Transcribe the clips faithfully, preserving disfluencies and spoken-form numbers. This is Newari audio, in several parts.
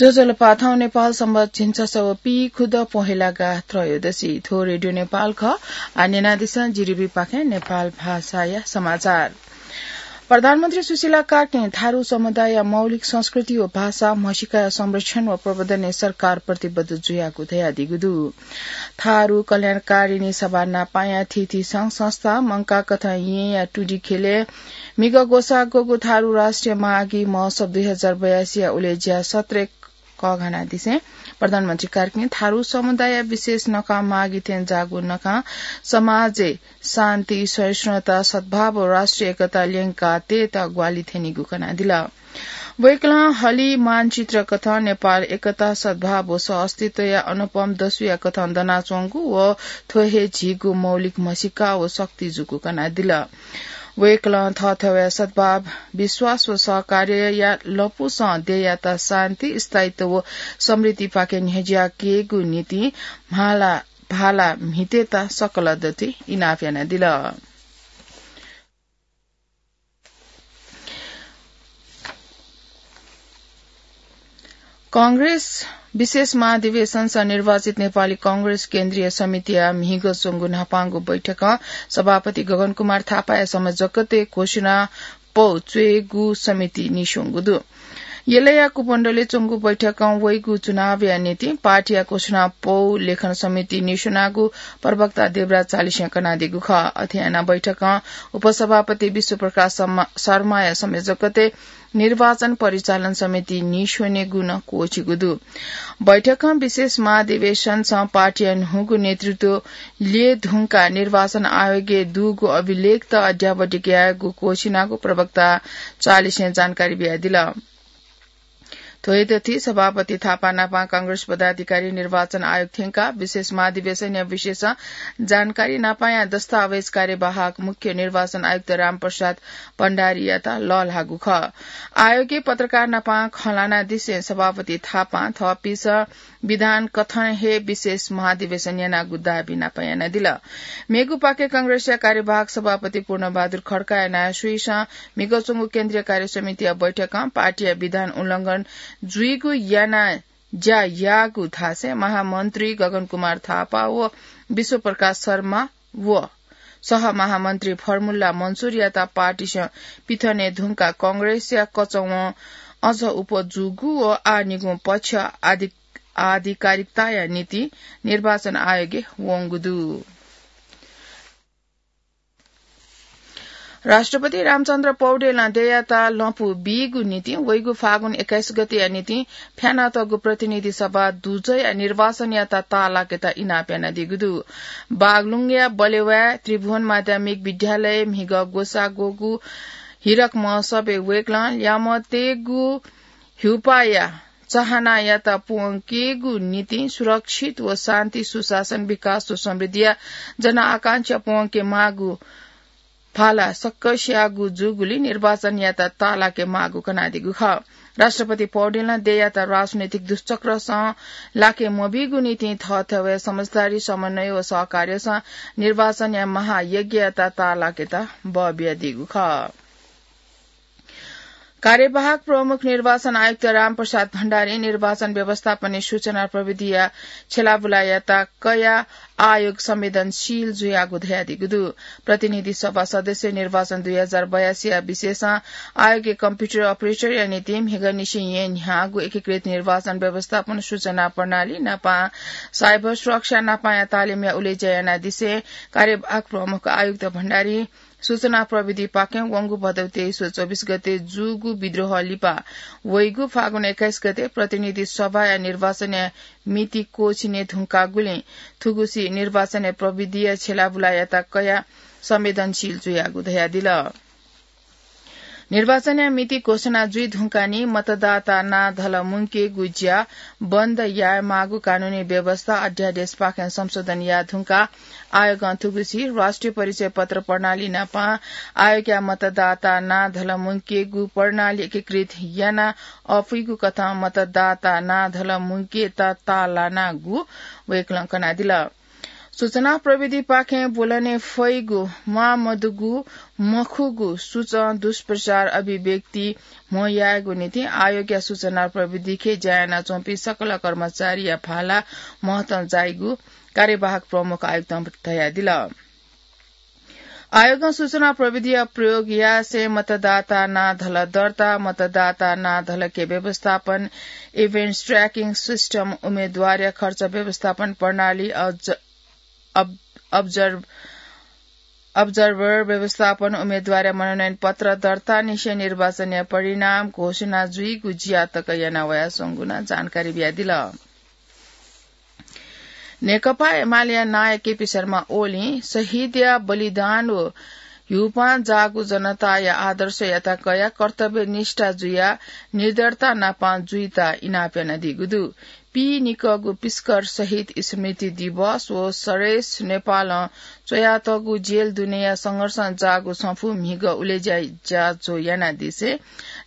ज्वजलपा, थौं नेपाल संवत् झिंछसः व पीखुदँ पहेलागा त्रयोदशी। थ्व रेडियो नेपाल खः। आः न्यनादिसँ जिरिबीपाखें नेपाल भाषाया समाचार। प्रधानमन्त्री सुशीला कार्कीं थारु समुदायया मौलिक संस्कृति व भाषा म्हसीकाया संरक्षण व प्रवर्धनय् सरकार प्रतिबद्ध जुयागु धयादीगु दु। थारु कल्याणकारिणी सभा नापाया थीथी संघ संस्था मंकाः कथं येँया टुँडिखेलय् म्हिगः ग्वसाः ग्वःगु थारु राष्ट्रिय माघी महोत्सव दुई हजार बयासीया उलेज्या सत्रय् कःघानादिसें प्रधानमन्त्री कार्कीं थारु समुदायया विशेष नखः माघी थें जाःगु नखः समाजय् शान्ति, सहिष्णुता, सद्भाव व राष्ट्रिय एकता ल्यंकाः तयेत ग्वाहालि थ्यनीगु कनादिल। वय्कलं हलिं मानचित्र कथं नेपाल एकता, सद्भाव व सहअस्तित्वया अनुपम दसुया कथं दनाच्वंगु व थ्व हे झीगु मौलिक म्हसीका व शक्ति जूगु कनादिल। वय्कलं थःथवय् सद्भाव, विश्वास व सहकार्यया लँपुसं देय्‌यात शान्ति, स्थायित्व व समृद्धिपाखे न्ह्यज्याकेगु निंतिं म्हाला भाला म्हितेत सकल दथुइ इनाप यानादिल। कांग्रेस विशेष महाधिवेशनस निर्वाचित नेपाली कांग्रेस केन्द्रीय समितिया म्हिगः च्वंगु न्हापांगु बैठकं सभापति गगन कुमार थापाया संयोजकत्वय् घोषणा पौ च्वयेगु समितिं नीस्वंगु दु। यलया कुमण्डलय् च्वंगु बैठकं वइगु चुनावया निंतिं पार्टीया घोषणा पौ लेखन समितिं नीस्वनागु प्रवक्ता देवराज चालिसें कनादीगु खः। अथे यानाः बैठकं उपसभापति विश्वप्रकाश शर्मा, शर्माया संयोजकत्वय् निर्वाचन परिचालन समितिं नीस्वनेगु नं क्वःछिगु दु। बैठकं विशेष महाधिवेशनस पार्टीया न्हूगु नेतृत्व ल्यये धुंकाः निर्वाचन आयोगय् दुगु अभिलेखत अद्यावधिक यायेगु क्वःछिनागु प्रवक्ता चालिसें जानकारी बियादिल। थ्व हे दथुइ सभापति थापा नापं कांग्रेस पदाधिकारी निर्वाचन आयोग थ्यंकाः विशेष महाधिवेशनया विषयस जानकारी नापं दस्तावेज कार्यवाहक मुख्य निर्वाचन आयुक्त रामप्रसाद भण्डारीयात लःल्हाःगु खः। आयोगय् पत्रकार नापं खँ ल्हानादिसें सभापति थापां थःपिंसं विधान कथं हे विशेष महाधिवेशन यानागु दाबी नापं यानादिल। मेगु पाखे कांग्रेसया कार्यवाहक सभापति पूर्णबहादुर खड्काया नायःस्वीसं म्हिगः च्वंगु केन्द्रीय कार्य समितिया बैठकं पार्टीया विधान उल्लंघन जुइगु यानाः ज्या याःगु धासें महामन्त्री गगन कुमार थापा व विश्वप्रकाश शर्मा व सहमहामन्त्री फर्मुल्ला मन्सुरयात पार्टीसं पिथने धुंकाः कांग्रेसया कचवं अझ उप जूगु व आः निगू पक्ष आधि-, आधिकारिकताया निंतिं निर्वाचन आयोगय् वंगु दु। राष्ट्रपति रामचन्द्र पौडेलं देय्‌यात लँपु बीगु निंतिं वइगु फागुन एक्काइस गतेया निंतिं फ्यानातःगु प्रतिनिधि सभा दुजःया निर्वाचनयात ताःलाकेत इनाप यानादीगु दु। बागलुङया बलेवाय् त्रिभुवन माध्यमिक विद्यालयय् म्हिगः ग्वसाः ग्वःगु हिरक महोत्सवय् वय्‌कलं ल्यामतय्‌गु ह्युपाया चाहनायात प्वंकेगु निंतिं सुरक्षित व शान्ति, सुशासन, विकास व समृद्धिया जनआकांक्षा प्वंके माःगु भाला सकसियागु जूगुलिं निर्वाचनयात ताःलाके माःगु कनादीगु खः। राष्ट्रपति पौडेलं देय्‌यात राजनैतिक दुष्चक्रसं लाके मबीगु निंतिं थःथवय् समझदारी, समन्वय व सहकार्यसं निर्वाचनया महायज्ञयात ताःलाकेत बः बियादीगु खः। कार्यवाहक प्रमुख निर्वाचन आयुक्त रामप्रसाद भण्डारीं निर्वाचन व्यवस्थापनय् सूचना प्रविधिया छ्यलाबुलायात कयाः आयोग संवेदनशील जुयागु धयादीगु दु। प्रतिनिधि सभा सदस्य निर्वाचन दुई हजार बयासीया विषयसं आयोगय् कम्प्युटर अपरेटरया निंतिं म्हिगःनिसें येँ न्ह्याःगु एकीकृत निर्वाचन व्यवस्थापन सूचना प्रणाली नापं साइबर सुरक्षा नापंया तालिमया उलेज्या यानादिसें कार्यवाहक प्रमुख आयुक्त भण्डारीं सूचना प्रविधिपाखें वंगु भदौ तेइस व चौबिस गते जूगु विद्रोह लिपा वइगु फागुन एक्काइस गते प्रतिनिधि सभाया निर्वाचनया मिति क्वःछिने धुंकागुलिं थुगुसी निर्वाचनया प्रविधिया छ्यलाबुलायात कयाः संवेदनशील जुयागु धयादिल। निर्वाचनया मिति घोषणा जुइ धुंकाः नि मतदाता नां धल मुंकेगु ज्या बन्द यायेमाःगु कानूनी व्यवस्था अध्यादेशपाखें संशोधन याये धुंकाः आयोगं थुगुसी राष्ट्रिय परिचय पत्र प्रणाली नापं आयोगया मतदाता नां धल मुंकेगु प्रणाली एकीकृत यानाः अःपुइगु कथं मतदाता नां धल मुंकेत ताःलानागु वय्‌कलं कनादिल। सूचना प्रविधिपाखें ब्वलने फइगु म्वाःमदुगु मखुगु सूचं दुष्प्रचार अभिव्यक्ति म्हो यायेगु निंतिं आयोगया सूचना प्रविधिखे ज्या यानाच्वंपिं सकल कर्मचारीया भाला महतं जाइगु कार्यवाहक प्रमुख आयुक्तं धयादिल। आयोगं सूचना प्रविधिया प्रयोग यासें मतदाता नां धल दर्ता, मतदाता नां धलके व्यवस्थापन, events tracking system, उम्मेदवारया खर्च व्यवस्थापन प्रणाली, अब्ज-, अब-, observe-, observer व्यवस्थापन, उम्मेदवारया मनोनयन पत्र दर्ता निसें निर्वाचनया परिणाम घोषणा जुइगु ज्या तक याना वयाच्वंगु नं जानकारी बियादिल। नेकपा एमालेया नायः केपी शर्मा ओलीं शहीदया बलिदान व ह्यूपां जाःगु जनताया आदर्शयात कयाः कर्तव्यनिष्ठा जुयाः निडरता नापं जुइत इनाप यानादीगु दु। पीनिकःगु पिस्कर शहीद स्मृति दिवस व सरेस नेपालं च्वयातःगु जेल दुनेया संघर्षं जाःगु छंफु म्हिगः उलेज्या ज्याझ्वः यानादिसें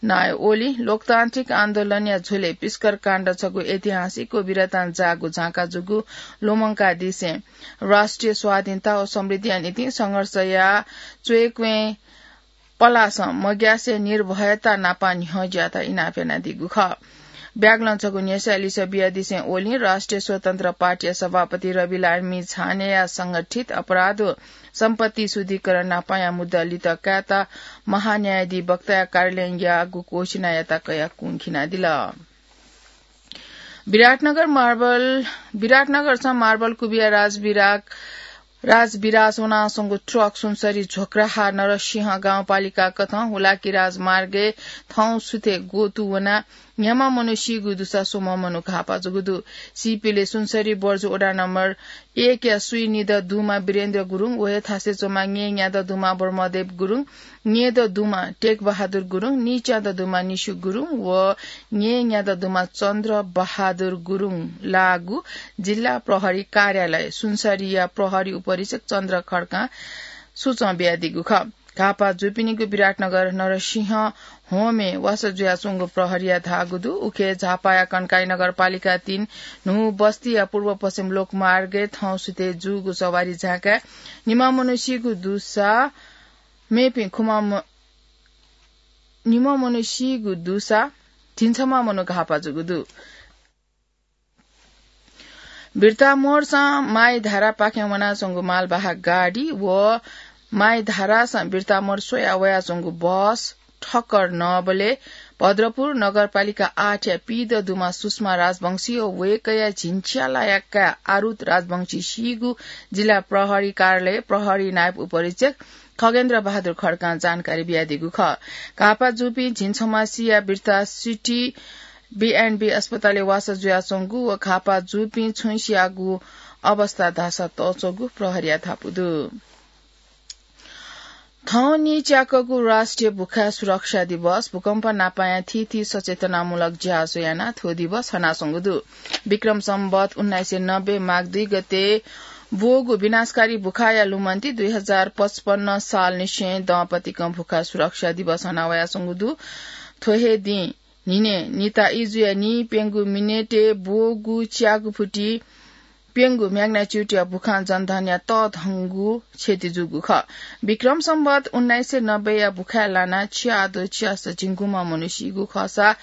नायः ओलीं लोकतान्त्रिक आन्दोलनया झ्वलय् पिस्कर काण्ड छगू ऐतिहासिक व वीरतां जाःगु झांका जूगु लुमंकादिसें राष्ट्रिय स्वाधीनता व समृद्धिया निंतिं संघर्षया च्वय्क्वँय् पलासं मग्यासे निर्भयता नापं न्ह्यज्यात इनाप यानादीगु खः। ब्यागलं छगू न्ह्यसः लिसः बियादिसें ओलीं राष्ट्रिय स्वतन्त्र पार्टीया सभापति रविलामी छानेया संगठित अपराध व सम्पत्ति शुद्धिकरण नापंया मुद्दा लित कायेत महान्यायाधिवक्ताया कार्यालयं याःगु घोषणायात कयाः कुंखिनादिल। विराटनगर मार्बल, विराटनगरं मार्बल कुबिया राजविराग, राजविराज वनाच्वंगु ट्रक सुनसरी झोक्राहा नरसिंह गाउँपालिका कथं हुलाकी राजमार्गय् थौं सुथे गोतु वनाः न्ह्याम्ह मनू सीगु दुसा स्वम्ह मनू घाःपा जूगु दु। सीपिले सुनसरी बर्जु वडा नम्बर एकया स्वीनिदँ दुम्ह वीरेन्द्र गुरुङ, व हे थासय् च्वंम्ह न्येन्यादँ दुम्ह ब्रह्मदेव गुरुङ, न्येदँ दुम्ह टेकबहादुर गुरुङ, निच्यादँ दुम्ह निशु गुरुङ व न्येन्यादँ दुम्ह चन्द्र बहादुर गुरुङ लाःगु जिल्ला प्रहरी कार्यालय सुनसरीया प्रहरी उपरीक्षक चन्द्र खड्कां सूचं बियादीगु खः। घाःपा जूपिनिगु विराटनगर नरसिंह होमय् वासः जुयाच्वंगु प्रहरीया धाःगु दु। उखे झापाया कन्काई नगरपालिका तीन न्हू बस्तीया पूर्व पश्चिम लोकमार्गय् थौं सुथे जूगु सवारी झाँकाय् निम्ह मनू सीगु दुसा मेपिं खुम्ह म-, निम्ह मनू सीगु दुसा झिंछम्ह मनू घाःपा जूगु दु। बिर्तामोडसं माइधारापाखें वनाच्वंगु मालवाहक गाडी व माइधारासं बिर्तामोड स्वयाः वयाच्वंगु बस ठक्कर नःबलय् भद्रपुर नगरपालिका आठया पीदँ दुम्ह सुषमा राजवंशी व वय्कःया झिंच्यालाया काय् आरुत राजवंशी सीगु जिल्ला प्रहरी कार्यालय प्रहरी नायब उपरीक्षक खगेन्द्र बहादुर खड्कां जानकारी बियादीगु खः। घाःपा जूपिं झिंछम्ह सियाः बिर्ता सिटी बीएनबी अस्पतालय् वासः जुयाच्वंगु व घाःपा जूपिं छुं सियाःगु अवस्था धाःसा तःच्वंगु प्रहरीया धापू दु। थौं नीच्याकःगु राष्ट्रिय भुखाय् सुरक्षा दिवस भूकम्प नापंया थीथी सचेतनामूलक ज्याझ्वः यानाः थ्व दिवस हनाच्वंगु दु। विक्रम सम्वत उन्नाइस सय नब्बे माघ दुई गते ब्वःगु विनाशकारी भुखाया लुमन्ति दुई हजार पचपन्न सालनिसें दँपतिकं भुखाय् सुरक्षा दिवस हना वयाच्वंगु दु। थ्व हे दिं न्हिनय् निता इजुया नीप्यंगू मिनेटय् ब्वःगु च्यागू फुति प्यंगू magnitude-या भुखां जनधनया तःधंगु क्षति जूगु खः। विक्रम सम्वत उन्नाइस सय नब्बेया भुखाय् लानाः च्याद्वः च्यासः झिंगुम्ह मनू सीगु खःसा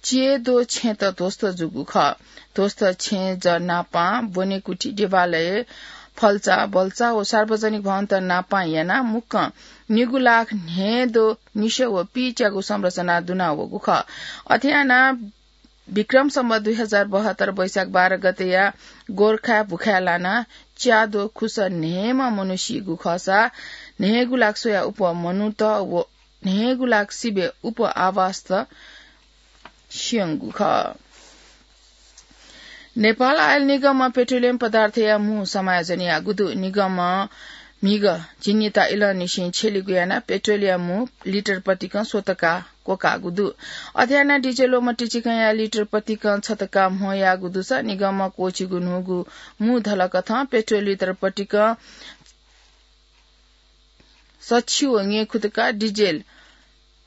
च्यय्द्वः छेँत ध्वस्त जूगु खः। ध्वस्त छेँजः नापं ब्वनेकुथि, देवालय, फल्चा, बल्चा व सार्वजनिक भवनत नापं यानाः मुक्कं निगू लाख न्हय्द्वः निसः व पीच्यागू संरचना दुना वःगु खः। अथे यानाः विक्रम सम्वत दुई हजार बहत्तर वैशाख बाह्र गतेया गोर्खाय् भुखाय् लानाः च्याद्वः खुसः न्हय्म्ह मनू सीगु खःसा न्हय्गू लाख स्वयाः उप्वः मनूत व न्हय्गू लाख सिबें उप्वः आवासत स्यंगु खः। नेपाल आयल निगमं पेट्रोलियम पदार्थया मू समायोजन याःगु दु। निगमं म्हिगः झिंनिता इलंनिसें छ्यलिगु यानाः पेट्रोलया मू लिटर पतिकं स्वतका क्वकाःगु दु। अथे यानाः डिजेल व मट्टी चिकंया लिटर पतिकं छतका म्हो याःगु दुसा निगमं क्वःछिगु न्हूगु मू धलकथं पेट्रोल लिटर पतिकं सछि व ङ्येखुतका, डिजेल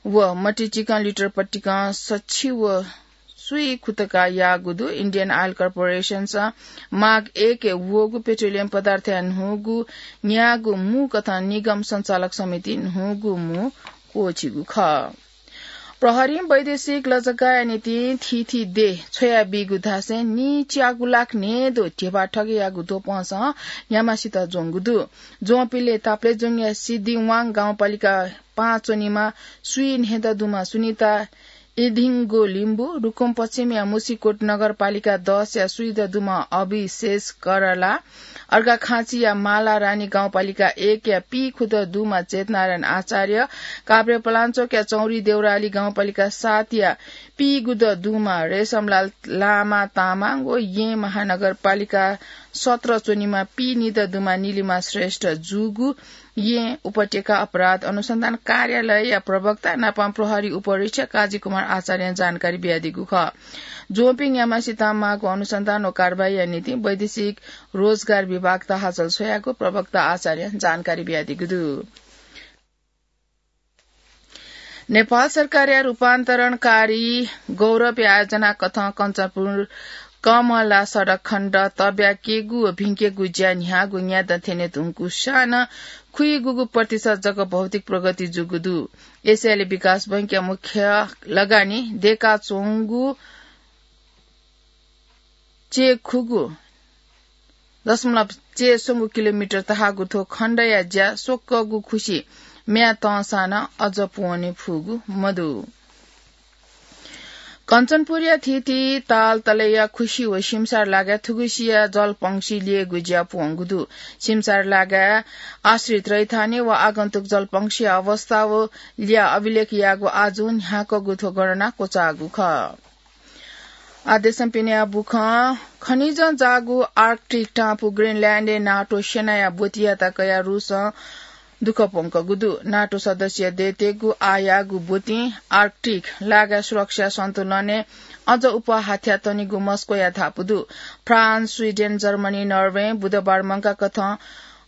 व मट्टी चिकं लिटर पतिकं सछि व सुइ खुतका याःगु दु। Indian Oil Corporation स माग एक वःगु पेट्रोलियम पदार्थया न्हूगु न्याःगु मू कथं निगम सञ्चालक समिति न्हूगु मू क्वःछिगु खः। प्रहरीं वैदेशिक लजगाया निंतिं थीथी देय् छ्वयाबीगु धासें नीच्यागु लाख न्हय्दँ ध्यबा ठगेयागु ध्वपंसं न्ह्याम्हसित ज्वंगु दु। ज्वंपिले ताप्लेजुङया सिद्धिवाङ गाउँपालिका पाँच च्वनीम्ह स्वीन्हय्दँ दुम्ह सुनिता इधिङ्गो लिम्बु, रुकुम पश्चिमया मुसिकोट नगरपालिका दसया स्वीदँ दुम्ह अभिशेष करला, अर्घाखाँचीया मालारानी गाउँपालिका एकया पीखुदँ दुम्ह चेतनारायण आचार्य, काभ्रेपलाञ्चोकया चौरी देउराली गाउँपालिका सातया पीगुदँ दुम्ह रेशमलाल लामा तामाङ व येँ महानगरपालिका सत्र च्वनीम्ह पीनिदँ दुम्ह निलिमा श्रेष्ठ जूगु येँ उपत्यका अपराध अनुसन्धान कार्यालयया प्रवक्ता नापं प्रहरी उपरीक्षक काजी कुमार आचार्यं जानकारी बियादीगु खः। ज्वंपिं न्ह्याम्हसित माःगु अनुसन्धान व कारवाहीया निंतिं वैदेशिक रोजगार विभाग तहाचल छ्वयागु प्रवक्ता आचार्यं जानकारी बियादीगु दु। नेपाल सरकारया रूपान्तरणकारी गौरवया आयोजना कथं कञ्चनपुर कमला सडक खण्ड तब्याकेगु व भिंकेगु ज्या न्ह्याःगु न्यादँ थ्यने धुंकूसां नं खुइगूगु प्रतिशत जक भौतिक प्रगति जूगु दु। एसियाली विकास बैंकया मुख्य लगानी दयेकाच्वंगु चय्खुगू दशमलव चय्स्वंगू किलोमिटर तहाःगु थ्व खण्डया ज्या स्वक्वःगु खुसि म्ये तंसां नं अझ पूवने फुगु मदु। कञ्चनपुरया थीथी तालतलेया खुसि व सिमसार लागाय् थुगुसिया जलपंक्षी ल्ययेगु ज्या पूवंगु दु। सिमसार लागाय् आश्रित रैथाने व आगन्तुक जलपंक्षीया अवस्था व ल्याः अभिलेख याःगु आजु न्ह्याकःगु थ्व गणना क्वचाःगु खः। आदेशं पिनेया बुखं खनिजं जाःगु आर्कटिक टापु ग्रिनल्याण्डय् नाटो सेनाया ब्वतियात कयाः रूसं दुःख प्वंकूगु दु। नाटो सदस्य देय्तय्गु आःयाःगु ब्वतिं आर्कटिक लागाय् सुरक्षा सन्तुलनय् अझ उप हाथ्यातनीगु मस्कोया धापू दु। फ्रान्स, स्वीडेन, जर्मनी, नर्वे बुधबार मंकाकथं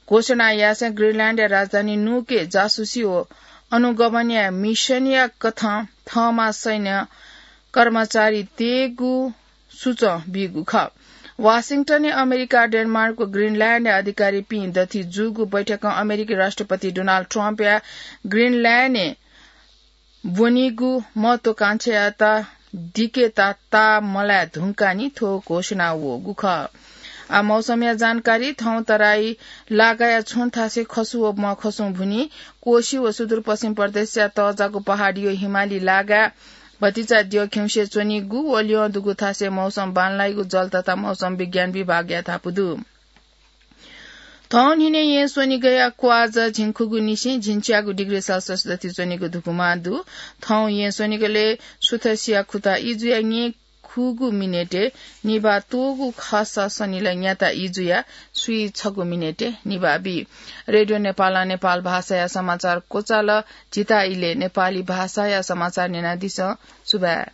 घोषणा यासें ग्रिनल्याण्डया राजधानी नुके जासुसी व अनुगमनया मिशनया कथं थःमा सैन्य कर्मचारी तयेगु सुचं बीगु खः। वाशिंटनय् अमेरिका, डेनमार्क व ग्रिनल्याण्डया अधिकारीपिं दथुइ जूगु बैठकं अमेरिकी राष्ट्रपति डोनाल्ड ट्रम्पया ग्रिनल्याण्डय् ब्वनीगु महत्वाकांक्षायात दिकेता ताः मलाये धुंकाः नि थ्व घोषणा वःगु खः। आ, मौसमया जानकारी। थौं तराई लागाया छुं थासय् खसु व मखसुं भुनी, कोशी व सुदूरपश्चिम प्रदेशया तःजाःगु पहाडी व हिमाली लागाय् भतिचा द्यः खिउँसे च्वनीगु व ल्यं दुगु थासय् मौसम बांलाइगु जल तथा मौसम विज्ञान विभागया धापू दु। थौं न्हिनय् येँ स्वनिगया क्वाःझ झिंखुगू निसें झिंच्यागू डिग्री सेल्सियस दथुइ च्वनीगु धुकुमा दु। थौं येँ स्वनिगलय् सुथसिया खुता इजुया न्येखुगू मिनेटय् निभाः त्वःगु खःसा सनिलय् न्याता इजुया स्वीछगू मिनेटय् निभाः बी। रेडियो नेपालं नेपाल भाषाया समाचार क्वचाल। झीत इलय् नेपाली भाषाया समाचार न्यनादिसँ। सुभाय्।